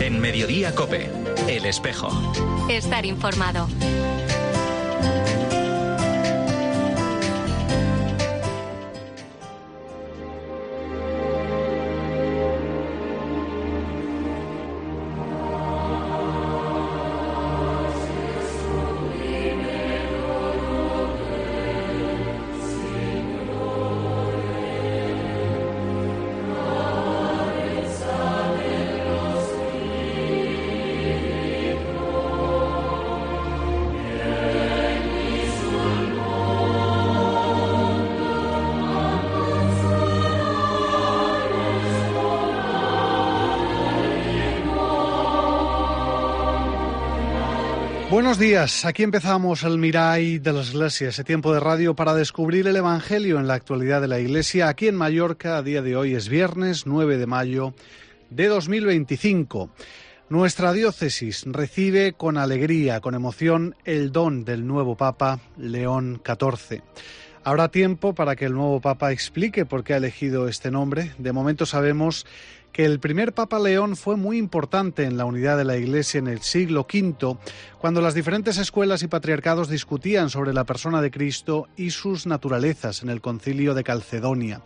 En Mediodía COPE, El Espejo. Estar informado. Buenos días, aquí empezamos el Mirai de la Iglesia, ese tiempo de radio para descubrir el Evangelio en la actualidad de la Iglesia. Aquí en Mallorca, a día de hoy es viernes 9 de mayo de 2025. Nuestra diócesis recibe con alegría, con emoción, el don del nuevo Papa León XIV. Habrá tiempo para que el nuevo Papa explique por qué ha elegido este nombre. De momento sabemos que el primer Papa León fue muy importante en la unidad de la Iglesia en el siglo V, cuando las diferentes escuelas y patriarcados discutían sobre la persona de Cristo y sus naturalezas en el Concilio de Calcedonia.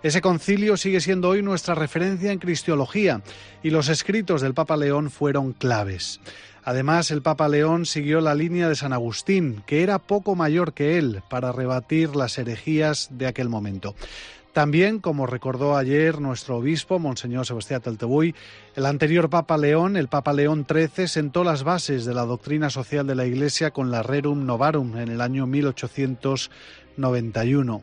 Ese concilio sigue siendo hoy nuestra referencia en cristiología y los escritos del Papa León fueron claves. Además, el Papa León siguió la línea de San Agustín, que era poco mayor que él, para rebatir las herejías de aquel momento. También, como recordó ayer nuestro obispo, Monseñor Sebastián Taltebuy, el anterior Papa León, el Papa León XIII, sentó las bases de la doctrina social de la Iglesia con la Rerum Novarum en el año 1891.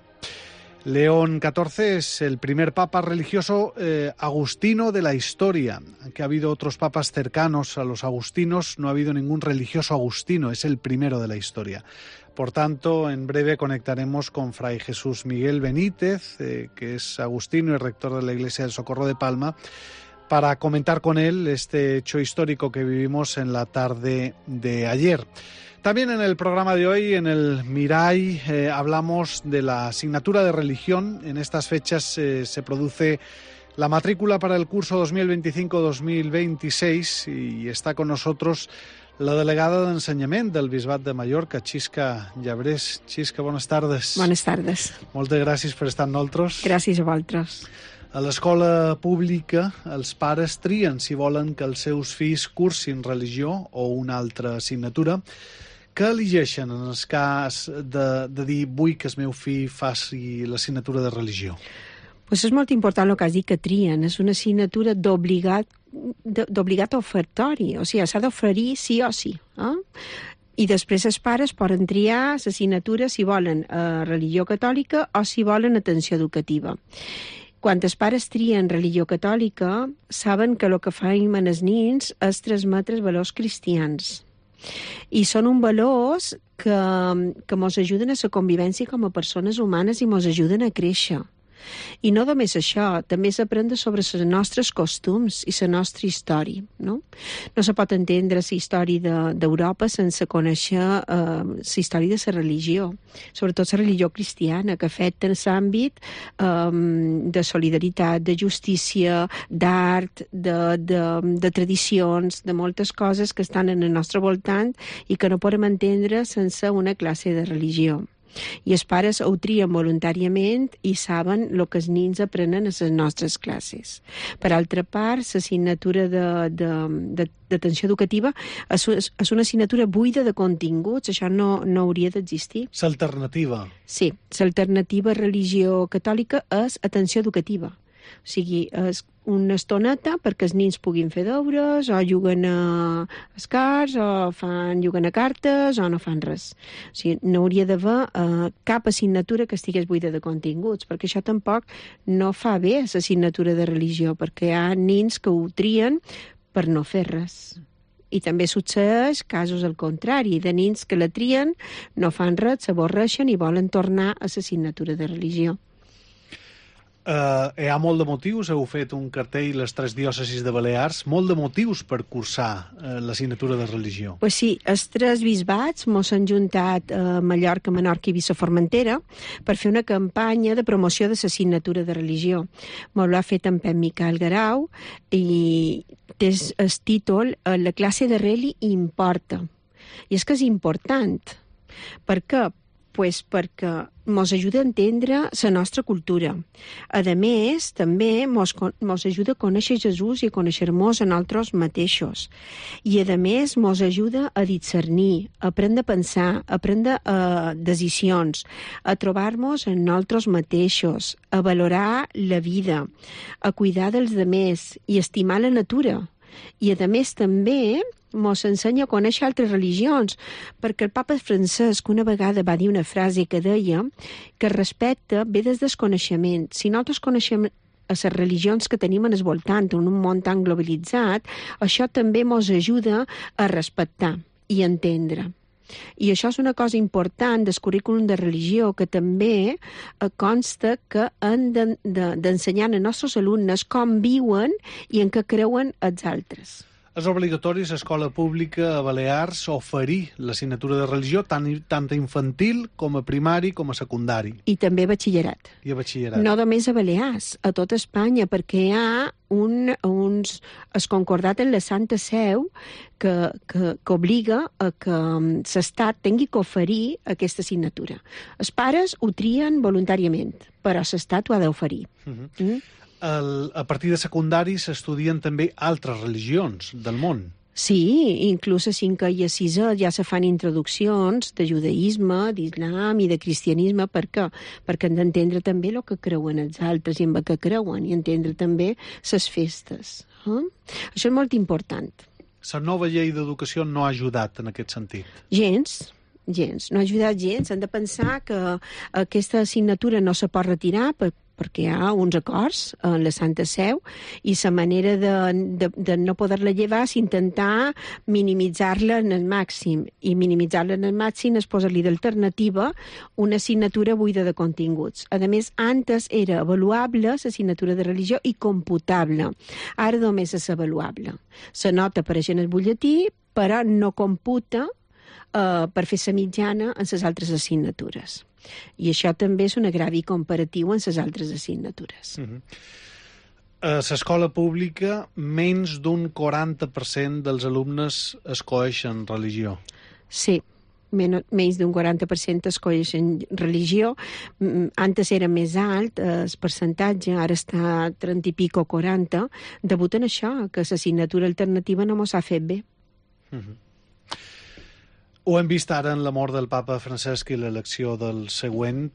León XIV es el primer papa religioso agustino de la historia. Aunque ha habido otros papas cercanos a los agustinos, no ha habido ningún religioso agustino, es el primero de la historia. Por tanto, en breve conectaremos con Fray Jesús Miguel Benítez, que es agustino y rector de la Iglesia del Socorro de Palma, para comentar con él este hecho histórico que vivimos en la tarde de ayer. También en el programa de hoy, en el Mirai, hablamos de la asignatura de religión. En estas fechas se produce la matrícula para el curso 2025-2026 y está con nosotros la delegada d'Ensenyament del Bisbat de Mallorca, Xisca Llabrés. Xisca, bones tardes. Bones tardes. Moltes gràcies per estar amb nosaltres. Gràcies a vosaltres. A l'escola pública, els pares trien si volen que els seus fills cursin religió o una altra assignatura. Què elegeixen en el cas de dir vull que el meu fill faci l'assignatura de religió? Pues és molt important el que has dit, que trien. És una assignatura d'obligat ofertori, o sigui, s'ha d'oferir sí o sí. I després els pares poden triar l'assignatura si volen religió catòlica o si volen atenció educativa. Quan els pares trien religió catòlica, saben que el que fan els nens és transmetre els valors cristians. I són uns valors que ens ajuden a la convivència com a persones humanes i ens ajuden a créixer. I no només això, també s'aprèn sobre els nostres costums i la nostra història. No se pot entendre la història d'Europa sense conèixer la història de la religió, sobretot la religió cristiana, que afecta en l'àmbit de solidaritat, de justícia, d'art, de tradicions, de moltes coses que estan en el nostre voltant i que no podem entendre sense una classe de religió. I els pares ho trien voluntàriament i saben el que els nens aprenen a les nostres classes. Per altra part, l'assignatura d'atenció educativa és una assignatura buida de continguts, això no hauria d'existir. L'alternativa. Sí, l'alternativa a religió catòlica és atenció educativa. O sigui, és una estoneta perquè els nens puguin fer deures, o juguen a escars, o juguen a cartes, o no fan res. O sigui, no hauria d'haver cap assignatura que estigués buida de continguts, perquè això tampoc no fa bé l'assignatura de religió, perquè hi ha nens que ho trien per no fer res. I també succeeix casos al contrari, de nens que la trien, no fan res, s'avorreixen i volen tornar a l'assignatura de religió. Hi ha molt de motius, heu fet un cartell les 3 diòcesis de Balears, molt de motius per cursar l'assignatura de religió. Pues sí, els 3 bisbats mos han juntat a Mallorca, Menorca i Formentera per fer una campanya de promoció de l'assignatura de religió. Mos l'ha fet en Pep Miquel Garau i té el títol La classe de reli importa. I és que és important. Per què? Pues perquè ens ajuda a entendre la nostra cultura. A més, també ens ajuda a conèixer Jesús i a conèixer-nos a nosaltres mateixos. I a més, ens ajuda a discernir, a aprendre a pensar, a prendre decisions, a trobar-nos en nosaltres mateixos, a valorar la vida, a cuidar dels demés i estimar la natura. I a més també ens ensenya a conèixer altres religions, perquè el papa Francesc una vegada va dir una frase que deia que el respecte ve des del coneixement. Si nosaltres coneixem a les religions que tenim en el voltant, en un món tan globalitzat, això també ens ajuda a respectar i entendre. I això és una cosa important del currículum de religió, que també consta que han d'ensenyar als nostres alumnes com viuen i en què creuen els altres. És obligatori a l'escola pública a Balears oferir l'assignatura de religió tant a infantil com a primari com a secundari. I també a batxillerat. I a batxillerat. No només a Balears, a tota Espanya, perquè hi ha es concordat en la Santa Seu que obliga a que l'Estat tingui que oferir aquesta assignatura. Els pares ho trien voluntàriament, però l'Estat ho ha d'oferir. A partir de secundari s'estudien també altres religions del món. Sí, inclús a 5è i a 6è ja se fan introduccions de judaïsme, d'islam i de cristianisme. Per què? Perquè han d'entendre també el que creuen els altres i en què creuen, i entendre també les festes. Això és molt important. La nova llei d'educació no ha ajudat en aquest sentit. Gens. No ha ajudat gens. Han de pensar que aquesta assignatura no se pot retirar perquè hi ha uns acords en la Santa Seu i la manera de no poder-la llevar és intentar minimitzar-la en el màxim. I minimitzar-la en el màxim és posar-li d'alternativa una assignatura buida de continguts. A més, antes era avaluable l'assignatura de religió i computable. Ara només és avaluable. La nota apareix en el butlletí, però no computa per fer la mitjana en les altres assignatures. I això també és un agravi comparatiu en les altres assignatures. A l'escola pública, menys d'un 40% dels alumnes escolleixen religió. Sí, menys d'un 40% escolleixen religió. Antes era més alt el percentatge, ara està 30 i pico 40, degut en això, que l'assignatura alternativa no mos ha fet bé. Ho hem vist ara en la mort del papa Francesc i l'elecció del següent.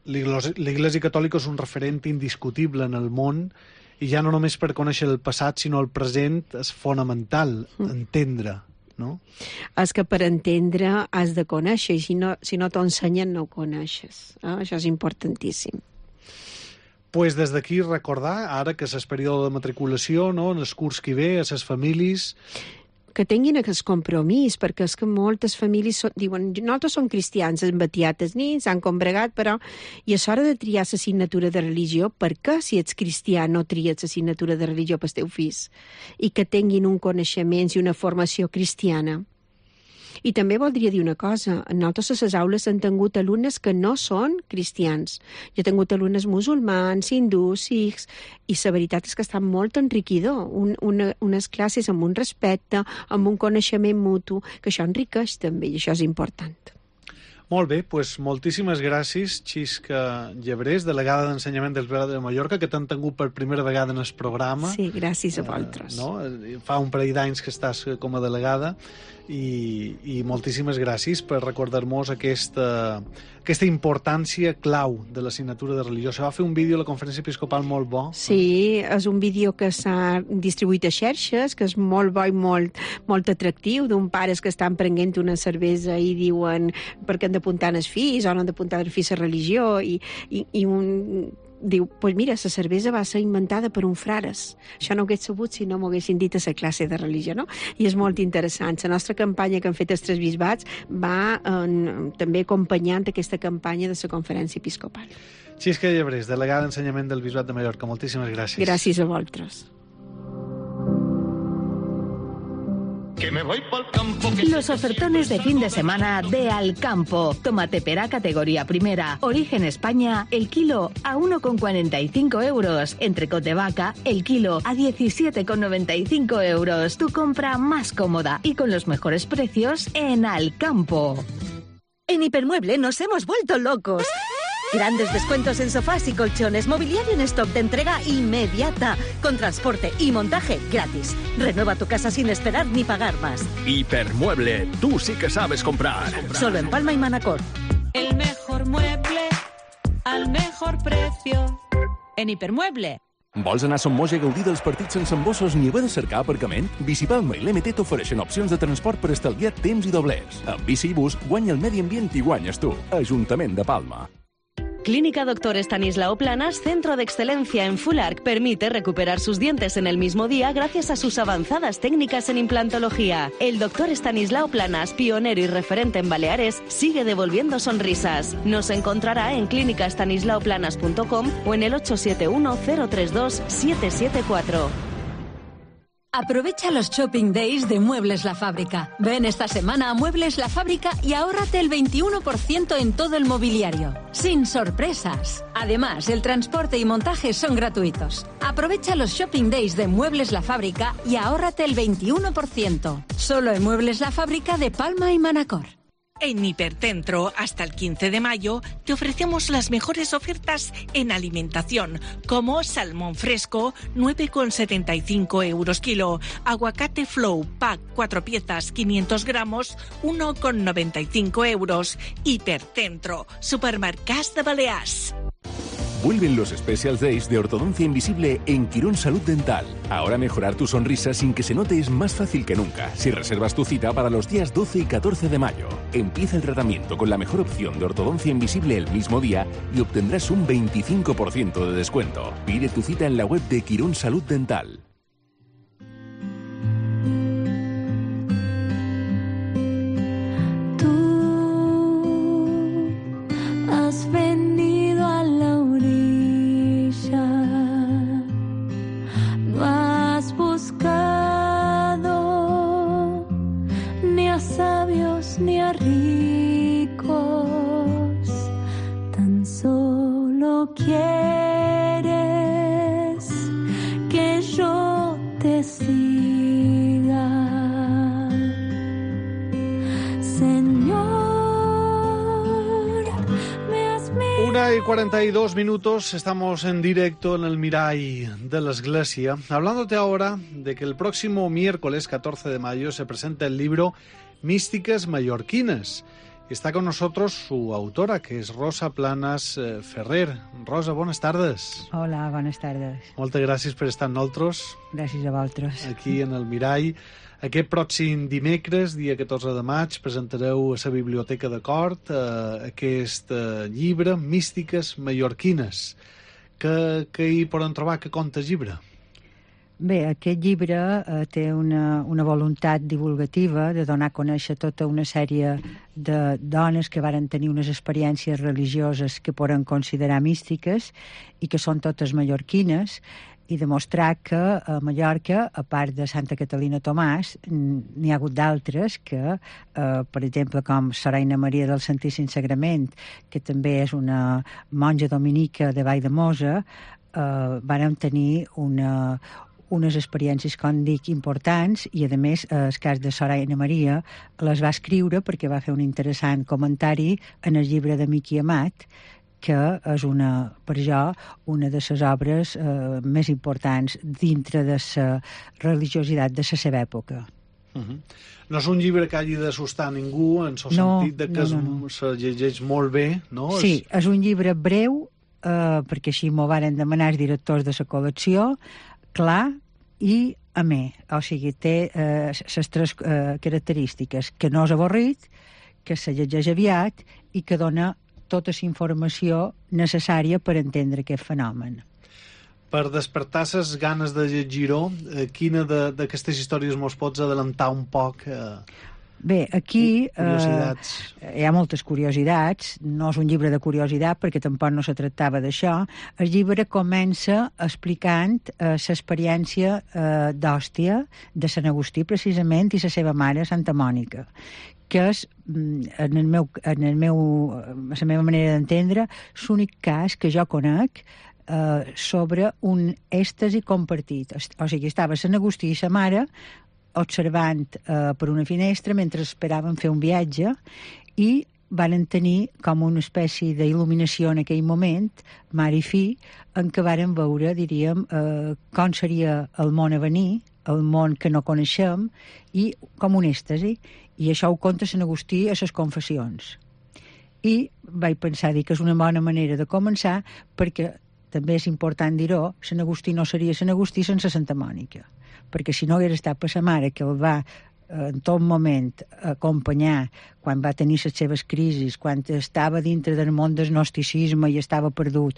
L'Església Catòlica és un referent indiscutible en el món i ja no només per conèixer el passat, sinó el present és fonamental entendre, no? És que per entendre has de conèixer i si no t'ho ensenyen no ho coneixes. Això és importantíssim. Pues des d'aquí recordar, ara que és el període de matriculació, no? En el curs que ve, a les famílies, que tinguin aquest compromís, perquè és que moltes famílies diuen, nosaltres som cristians, hem batiat els nins, han combregat, però i és hora de triar l'assignatura de religió. Per què, si ets cristià, no tries l'assignatura de religió pels teus fills? I que tinguin un coneixement i una formació cristiana. I també voldria dir una cosa, nosaltres a les aules hem tingut alumnes que no són cristians. Jo he tingut alumnes musulmans, hindús, sikhs, i la veritat és que està molt enriquidor. Unes classes amb un respecte, amb un coneixement mutu, que això enriqueix també, i això és important. Molt bé, doncs moltíssimes gràcies, Xisca Llebrés, delegada d'Ensenyament del Bisbat de Mallorca, que t'han tingut per primera vegada en el programa. Sí, gràcies a vosaltres. Fa un parell d'anys que estàs com a delegada i moltíssimes gràcies per recordar-nos aquesta importància clau de l'assignatura de religió. Se va fer un vídeo a la Conferència Episcopal molt bo. Sí, és un vídeo que s'ha distribuït a xarxes, que és molt bo i molt atractiu, d'un pares que estan prenent una cervesa i diuen per què han d'apuntar els fills o no han d'apuntar els fills a religió, i un diu, pues mira, la cervesa va ser inventada per un frares. Això no ho hagués sabut si no m'ho haguessin dit a la classe de religió, no? I és molt interessant. La nostra campanya que han fet els tres bisbats va també acompanyant aquesta campanya de la Conferència Episcopal. Xisca Llebrés, delegada d'Ensenyament del Bisbat de Mallorca, moltíssimes gràcies. Gràcies a vosaltres. que me voy pa'l campo. Los ofertones de fin de semana de Alcampo. Tomate pera categoría primera. Origen España, el kilo a 1,45 euros. Entrecot de vaca, el kilo a 17,95 euros. Tu compra más cómoda y con los mejores precios en Alcampo. En Hipermueble nos hemos vuelto locos. Grandes descuentos en sofás y colchones, mobiliario en stock de entrega inmediata, con transporte y montaje gratis. Renueva tu casa sin esperar ni pagar más. Hipermueble, tú sí que sabes comprar. Solo en Palma y Manacor. El mejor mueble al mejor precio. En Hipermueble. Vols anar a Son Moix a gaudir dels partits sense embossos ni haver de cercar aparcament? Bicipalma i l'MT t'ofereixen opcions de transport per estalviar temps i doblers. Amb bici i bus, guanya el medi ambient i guanyes tu. Ajuntament de Palma. Clínica Dr. Estanislao Planas, centro de excelencia en Full Arch, permite recuperar sus dientes en el mismo día gracias a sus avanzadas técnicas en implantología. El Dr. Estanislao Planas, pionero y referente en Baleares, sigue devolviendo sonrisas. Nos encontrará en clínicastanislaoplanas.com o en el 871-032-774. Aprovecha los Shopping Days de Muebles La Fábrica. Ven esta semana a Muebles La Fábrica y ahórrate el 21% en todo el mobiliario. Sin sorpresas. Además, el transporte y montaje son gratuitos. Aprovecha los Shopping Days de Muebles La Fábrica y ahórrate el 21%. Solo en Muebles La Fábrica de Palma y Manacor. En Hipercentro, hasta el 15 de mayo, te ofrecemos las mejores ofertas en alimentación, como salmón fresco, 9,75 euros kilo, aguacate Flow, pack 4 piezas, 500 gramos, 1,95 euros. Hipercentro, supermercats de Balears. Vuelven los Special Days de Ortodoncia Invisible en Quirón Salud Dental. Ahora mejorar tu sonrisa sin que se note es más fácil que nunca si reservas tu cita para los días 12 y 14 de mayo. Empieza el tratamiento con la mejor opción de ortodoncia invisible el mismo día y obtendrás un 25% de descuento. Pide tu cita en la web de Quirón Salud Dental. Tú has venido a la orilla, no has buscado ni a sabios ni a ricos, tan solo quieres que yo te siga, Señor. 1:42, estamos en directo en el Mirall de la Iglesia, hablándote ahora de que el próximo miércoles 14 de mayo se presenta el libro Místicas Mallorquines. Está con nosotros su autora, que es Rosa Planas Ferrer. Rosa, buenas tardes. Hola, buenas tardes. Moltes gràcies per estar amb nosaltres. Gràcies a vosaltres. Aquí en el Mirall. Aquest pròxim dimecres, dia 14 de maig, presentareu a la Biblioteca de Cort aquest llibre, Místiques Mallorquines. Què hi poden trobar? Què conta el llibre? Bé, aquest llibre té una voluntat divulgativa de donar a conèixer tota una sèrie de dones que varen tenir unes experiències religioses que poden considerar místiques i que són totes mallorquines, i demostrar que a Mallorca, a part de Santa Catalina Tomàs, n'hi ha hagut d'altres que, per exemple, com Soraina Maria del Santíssim Sagrament, que també és una monja dominica de Valldemossa, varen tenir unes experiències, com dic, importants, i a més el cas de Soraina Maria les va escriure perquè va fer un interessant comentari en el llibre de Miqui Amat, que és per jo una de les obres més importants dintre de la religiositat de la seva època. No és un llibre que hagi d'assustar ningú, en el sentit de que se llegeix molt bé, no? Sí, és un llibre breu, perquè així m'ho varen demanar els directors de la col·lecció, clar i amè. O sigui, té les tres característiques: que no és avorrit, que se llegeix aviat i que dona tota la informació necessària per entendre aquest fenomen. Per despertar les ganes de llegir-ho, quina d'aquestes històries mos pots adelantar un poc? Bé, aquí hi ha moltes curiositats. No és un llibre de curiositat perquè tampoc no se tractava d'això. El llibre comença explicant l'experiència d'Òstia de Sant Agustí, precisament, i la seva mare, Santa Mònica, que és, la meva manera d'entendre, l'únic cas que jo conec sobre un èxtasi compartit. O sigui, estava Sant Agustí i sa mare observant per una finestra mentre esperaven fer un viatge i van tenir com una espècie d'il·luminació en aquell moment, mare i fill, en què varen veure, diríem, com seria el món a venir, el món que no coneixem, i com un èxtasi. I això ho conta Sant Agustí a les Confessions. I vaig pensar que és una bona manera de començar, perquè també és important dir-ho, Sant Agustí no seria Sant Agustí sense Santa Mònica, perquè si no hagués estat per sa mare, que el va en tot moment acompanyar quan va tenir les seves crisis, quan estava dintre del món del gnosticisme i estava perdut,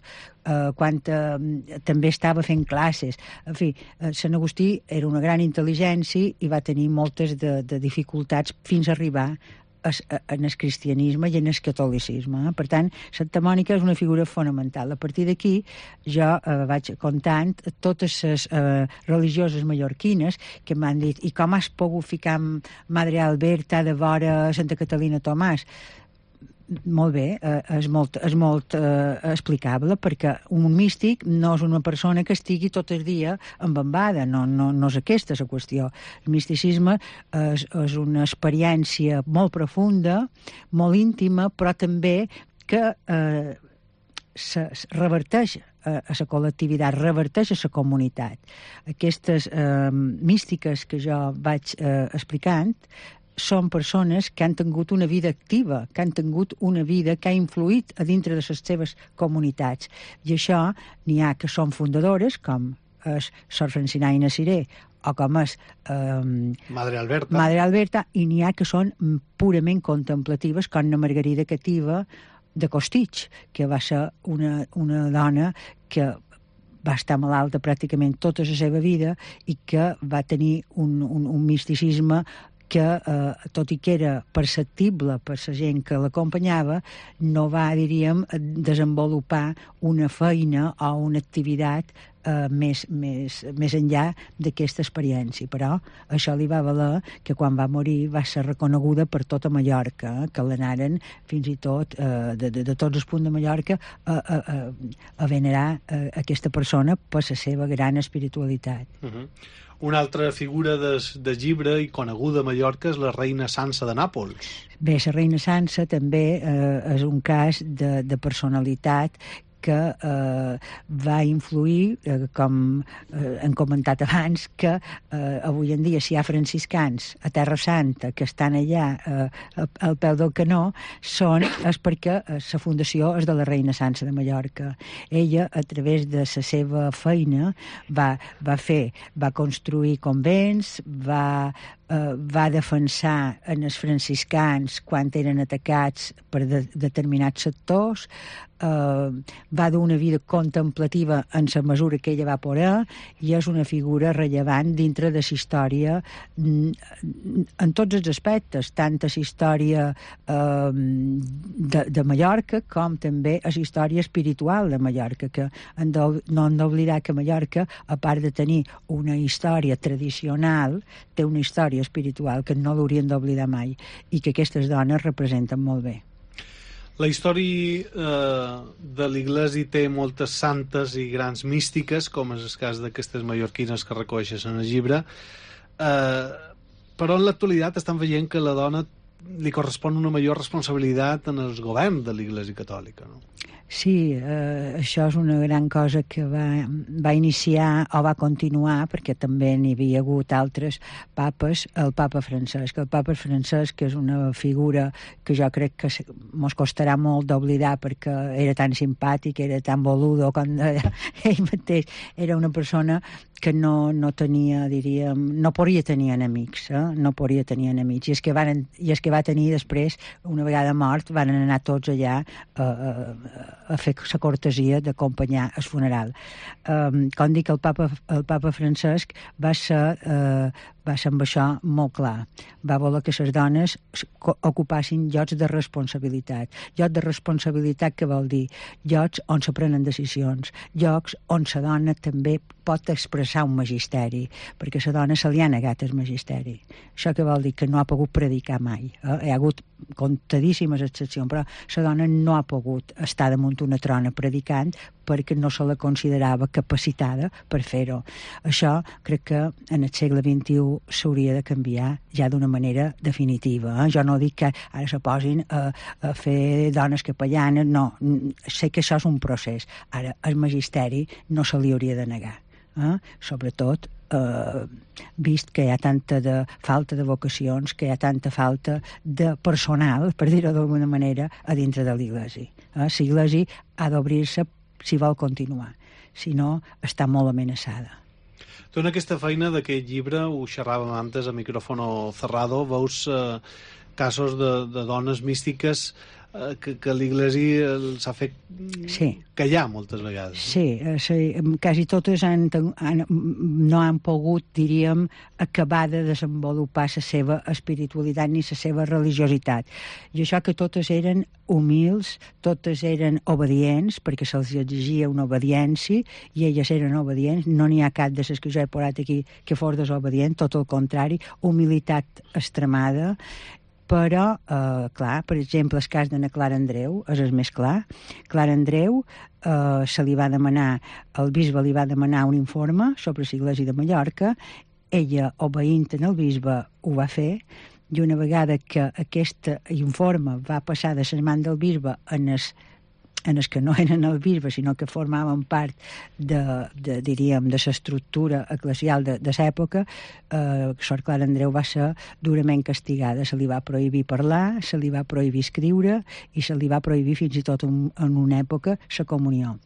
quan també estava fent classes. En fi, Sant Agustí era una gran intel·ligència i va tenir moltes de dificultats fins a arribar en el cristianisme i en el catolicisme. Per tant, Santa Mònica és una figura fonamental. A partir d'aquí jo vaig contant totes les religioses mallorquines que m'han dit i com has pogut ficar Madre Alberta de vora Santa Catalina Tomàs? Molt bé, és molt explicable, perquè un místic no és una persona que estigui tot el dia embambada, no és aquesta la qüestió. El misticisme és una experiència molt profunda, molt íntima, però també que reverteix a la col·lectivitat, reverteix a la comunitat. Aquestes místiques que jo vaig explicant són persones que han tingut una vida activa, que han tingut una vida que ha influït a dintre de les seves comunitats. I això n'hi ha que són fundadores, com és Sor Francinaina Siré, o com és Madre Alberta, i n'hi ha que són purament contemplatives, com la Margarida Cativa de Costitx, que va ser una dona que va estar malalta pràcticament tota la seva vida i que va tenir un misticisme que, tot i que era perceptible per la gent que l'acompanyava, no va, diríem, desenvolupar una feina o una activitat més enllà d'aquesta experiència. Però això li va valer que quan va morir va ser reconeguda per tota Mallorca, que l'anaren fins i tot de tots els punts de Mallorca a venerar aquesta persona per la seva gran espiritualitat. Una altra figura de llibre i coneguda a Mallorca és la reina Sança de Nàpols. Bé, la reina Sança també és un cas de personalitat que va influir, com hem comentat abans, que avui en dia si hi ha franciscans a Terra Santa que estan allà al peu del canó és perquè la fundació és de la reina Sança de Mallorca. Ella, a través de la seva feina, va construir convents, va defensar els franciscans quan eren atacats per determinats sectors, va dur una vida contemplativa en la mesura que ella va poder i és una figura rellevant dintre de la història en tots els aspectes, tant a la història de Mallorca com també a la història espiritual de Mallorca, que no hem d'oblidar que Mallorca, a part de tenir una història tradicional, té una història espiritual que no l'haurien d'oblidar mai i que aquestes dones representen molt bé. La història de l'Iglesi té moltes santes i grans místiques, com és el cas d'aquestes mallorquines que reconeixes en el llibre, però en l'actualitat estan veient que a la dona li correspon una major responsabilitat en el govern de l'Iglesi catòlica, no? Sí, això és una gran cosa que va iniciar o va continuar, perquè també n'hi havia hagut altres papes, el papa Francesc. El papa Francesc, que és una figura que jo crec que mos costarà molt d'oblidar perquè era tan simpàtic, era tan boludo, com ell mateix era una persona que no tenia, diríem, no podia tenir enemics, no podia tenir enemics. I és que va tenir després, una vegada mort, van anar tots allà a fer la cortesia d'acompanyar el funeral. Com dic, el papa Francesc va ser amb això molt clar. Va voler que les dones ocupassin llocs de responsabilitat. Llocs de responsabilitat que vol dir llocs on se prenen decisions, llocs on la dona també pot expressar un magisteri, perquè a la dona se li ha negat el magisteri. Això que vol dir que no ha pogut predicar mai. Hi ha hagut comptadíssimes excepcions, però la dona no ha pogut estar damunt una trona predicant perquè no se la considerava capacitada per fer-ho. Això crec que en el segle XXI s'hauria de canviar ja d'una manera definitiva. Jo no dic que ara se posin a fer dones capellanes, no. Sé que això és un procés. Ara, el magisteri no se li hauria de negar. Sobretot vist que hi ha tanta falta de vocacions, que hi ha tanta falta de personal, per dir-ho d'alguna manera, a dintre de l'Iglésia. L'Iglésia ha d'obrir-se si vol continuar, si no està molt amenaçada. Tu en aquesta feina d'aquest llibre, ho xerràvem antes a micrófono cerrado, veus casos de dones místiques que l'Iglésia els ha fet callar moltes vegades. Sí, quasi totes no han pogut, diríem, acabar de desenvolupar la seva espiritualitat ni la seva religiositat. I això que totes eren humils, totes eren obedients, perquè se'ls exigia una obediència, i elles eren obedients. No n'hi ha cap de les que jo he posat aquí que fos desobedient, tot el contrari, humilitat extremada. Però, clar, per exemple, el cas d'Anna Clara Andreu és el més clar. Clara Andreu se li va demanar, el bisbe li va demanar un informe sobre l'Església de Mallorca, ella, obeint en el bisbe, ho va fer, i una vegada que aquest informe va passar de les mans del bisbe en els que no eren el bisbe, sinó que formaven part diríem, de l'estructura eclesial de l'època, Sor Clara Andreu va ser durament castigada. Se li va prohibir parlar, se li va prohibir escriure i se li va prohibir fins i tot en una època la comunió.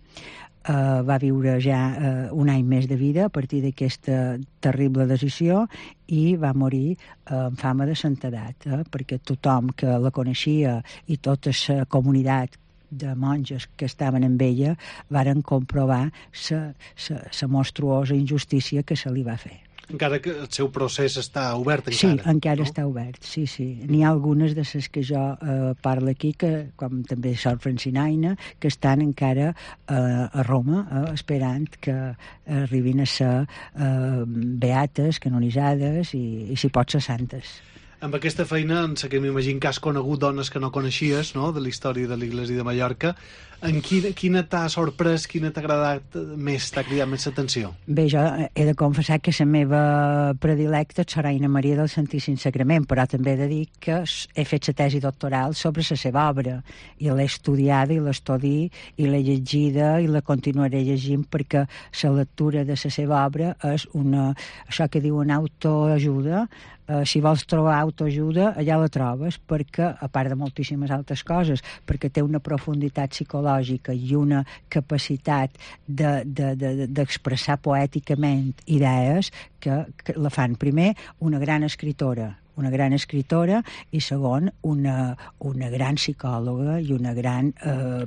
Va viure ja un any més de vida a partir d'aquesta terrible decisió i va morir amb fama de santedat, perquè tothom que la coneixia i tota la comunitat de monges que estaven amb ella varen comprovar la monstruosa injustícia que se li va fer. Encara que el seu procés està obert encara. Sí, encara està obert, sí. N'hi ha algunes de les que jo parlo aquí, com també Sor Francinaina, que estan encara a Roma, esperant que arribin a ser beates, canonitzades i si pot ser santes. Amb aquesta feina, en sé que m'imagino que has conegut dones que no coneixies, no?, de la història de l'Iglésia de Mallorca. Quina t'ha sorprès, quina t'ha agradat més, t'ha cridat més l'atenció? Bé, jo he de confessar que la meva predilecta és Soraina Maria del Santíssim Sagrament, però també he de dir que he fet la tesi doctoral sobre la seva obra, i l'he estudiada i l'estudi i l'he llegida i la continuaré llegint, perquè la lectura de la seva obra és això que diuen autoajuda. Si vols trobar autoajuda, allà la trobes, perquè, a part de moltíssimes altres coses, perquè té una profunditat psicològica i una capacitat d'expressar poèticament idees que la fan, primer, una gran escritora i segon, una gran psicòloga i una gran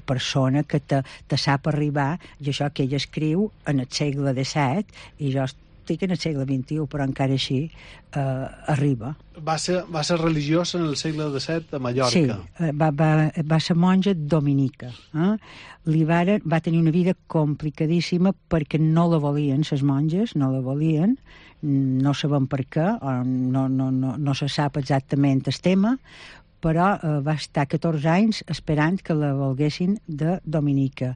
persona que te sap arribar, i això que ella escriu en el segle XVII, i jo estic en el segle XXI, però encara així arriba. Va ser religiós en el segle XVII a Mallorca. Sí, va ser monja dominica. Va tenir una vida complicadíssima perquè no la volien, les monges, no la volien, no sabem per què, no se sap exactament el tema, però va estar 14 anys esperant que la volguessin de dominica.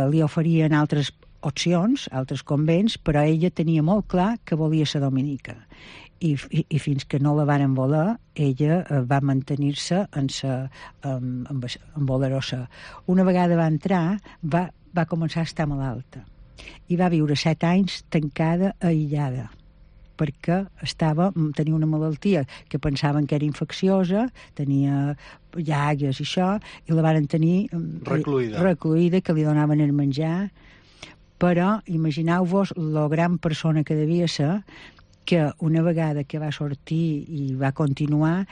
Li oferien altres opcions, altres convents, però ella tenia molt clar que volia ser dominica. I fins que no la varen voler, ella va mantenir-se en voler-ho. Una vegada va entrar, va començar a estar malalta i va viure 7 anys tancada, aïllada, perquè tenia una malaltia que pensaven que era infecciosa, tenia llagues i això, i la varen tenir recluïda, que li donaven el menjar, Però imagineu-vos la gran persona que devia ser, que una vegada que va sortir i va continuar,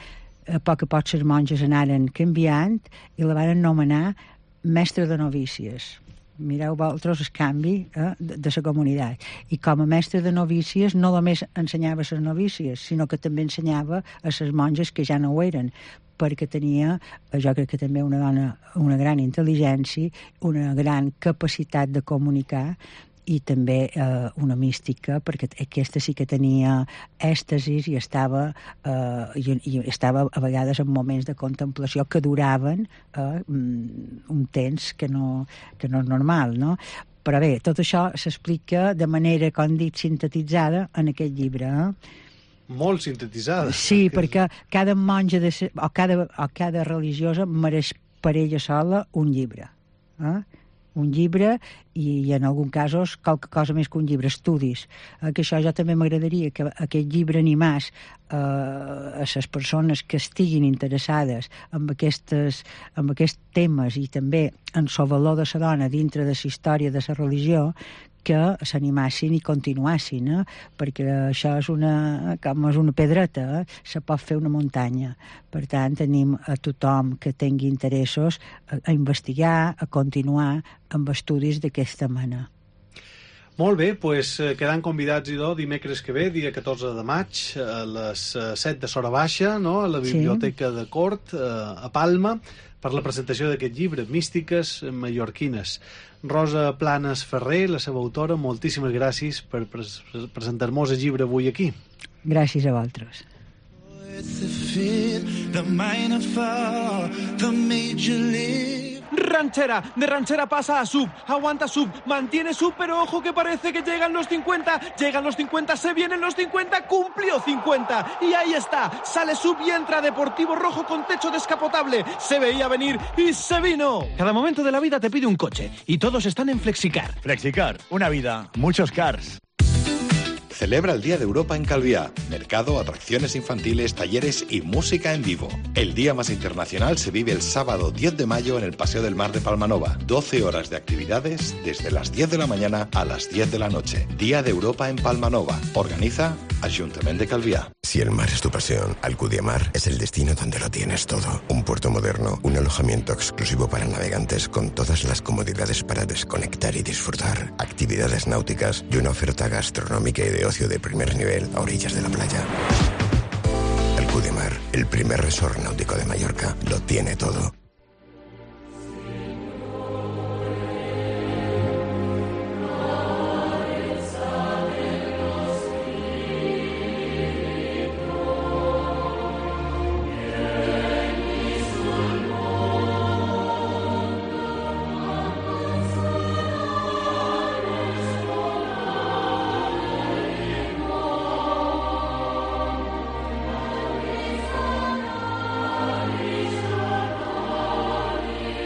a poc les monges anaren canviant i la van anomenar mestre de novícies. Mireu vosaltres el canvi de la comunitat. I com a mestre de novícies no només ensenyava a les novícies, sinó que també ensenyava a les monges que ja no ho eren, perquè tenia, jo crec que també una dona, una gran intel·ligència, una gran capacitat de comunicar i també una mística, perquè aquesta sí que tenia èxtasis i estava a vegades en moments de contemplació que duraven un temps que no és normal, no? Però bé, tot això s'explica de manera, com dit, sintetitzada en aquest llibre. Molt sintetitzada. Sí, perquè cada monja o cada religiosa mereix per ella sola un llibre. Un llibre i en alguns casos qualque cosa més que un llibre, estudis. Que això jo també m'agradaria que aquest llibre animés a les persones que estiguin interessades en aquests temes i també en el valor de la dona dintre de la història de la religió, que s'animassin i continuassin, perquè això és com és una pedreta, se pot fer una muntanya. Per tant, tenim a tothom que tingui interessos a investigar, a continuar amb estudis d'aquesta mena. Molt bé, doncs quedant convidats, dimecres que ve, dia 14 de maig, a les 7 de Sora Baixa, no? A la Biblioteca de Cort, a Palma, per la presentació d'aquest llibre, Místiques mallorquines. Rosa Planas Ferrer, la seva autora, moltíssimes gràcies per presentar-nos el llibre avui aquí. Gràcies a vosaltres. Ranchera, de ranchera pasa a sub, aguanta sub, mantiene sub, pero ojo que parece que llegan los 50, se vienen los 50, cumplió 50, y ahí está, sale sub y entra Deportivo Rojo con techo descapotable, se veía venir y se vino. Cada momento de la vida te pide un coche, y todos están en Flexicar. Flexicar, una vida, muchos cars. Celebra el Día de Europa en Calviá. Mercado, atracciones infantiles, talleres y música en vivo. El día más internacional se vive el sábado 10 de mayo en el Paseo del Mar de Palmanova. 12 horas de actividades desde las 10 de la mañana a las 10 de la noche. Día de Europa en Palmanova. Organiza Ayuntamiento de Calviá. Si el mar es tu pasión, Alcudiamar es el destino donde lo tienes todo. Un puerto moderno, un alojamiento exclusivo para navegantes con todas las comodidades para desconectar y disfrutar. Actividades náuticas y una oferta gastronómica y de ocio de primer nivel a orillas de la playa. Alcudiamar, el primer resort náutico de Mallorca, lo tiene todo.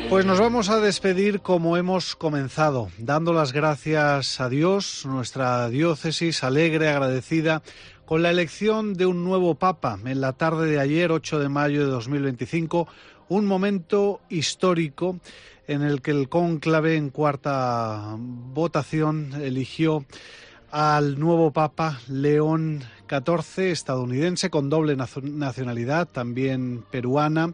Pues nos vamos a despedir como hemos comenzado, dando las gracias a Dios, nuestra diócesis alegre, agradecida, con la elección de un nuevo Papa en la tarde de ayer, 8 de mayo de 2025, un momento histórico en el que el cónclave en cuarta votación eligió al nuevo Papa León XIV, estadounidense, con doble nacionalidad, también peruana,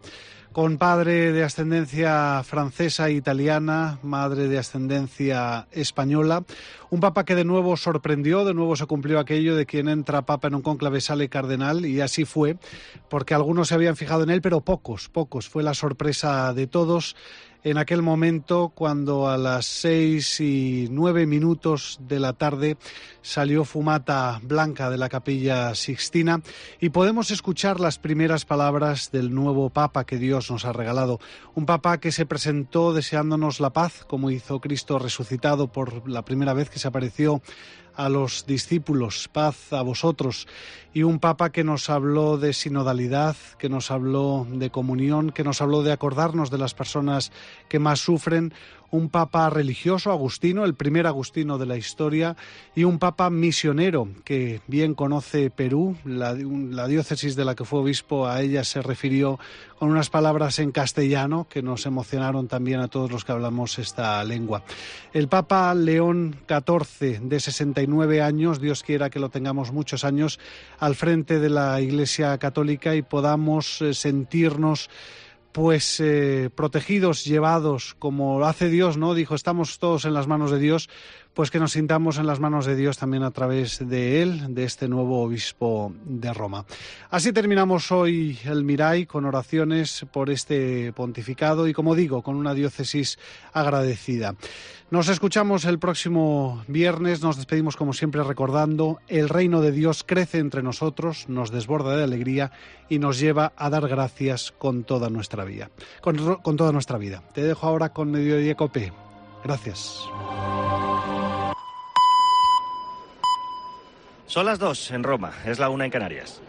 con padre de ascendencia francesa e italiana, madre de ascendencia española. Un papa que de nuevo sorprendió, de nuevo se cumplió aquello de quien entra papa en un cónclave sale cardenal, y así fue, porque algunos se habían fijado en él, pero pocos. Fue la sorpresa de todos en aquel momento cuando a las 6:09 de la tarde salió fumata blanca de la Capilla Sixtina y podemos escuchar las primeras palabras del nuevo Papa que Dios nos ha regalado. Un Papa que se presentó deseándonos la paz, como hizo Cristo resucitado por la primera vez que se apareció a los discípulos, paz a vosotros. Y un Papa que nos habló de sinodalidad, que nos habló de comunión, que nos habló de acordarnos de las personas que más sufren. un papa religioso, agustino, el primer agustino de la historia, y un papa misionero que bien conoce Perú. La diócesis de la que fue obispo, a ella se refirió con unas palabras en castellano que nos emocionaron también a todos los que hablamos esta lengua. El Papa León XIV, de 69 años, Dios quiera que lo tengamos muchos años al frente de la Iglesia Católica y podamos sentirnos protegidos, llevados, como lo hace Dios, ¿no? Dijo, estamos todos en las manos de Dios, pues que nos sintamos en las manos de Dios también a través de él, de este nuevo obispo de Roma. Así terminamos hoy el Mirai, con oraciones por este pontificado y, como digo, con una diócesis agradecida. Nos escuchamos el próximo viernes, nos despedimos como siempre recordando: el reino de Dios crece entre nosotros, nos desborda de alegría y nos lleva a dar gracias con toda nuestra vida. Con toda nuestra vida. Te dejo ahora con Mediodía Cope. Gracias. Son las 2 en Roma, es la 1 en Canarias.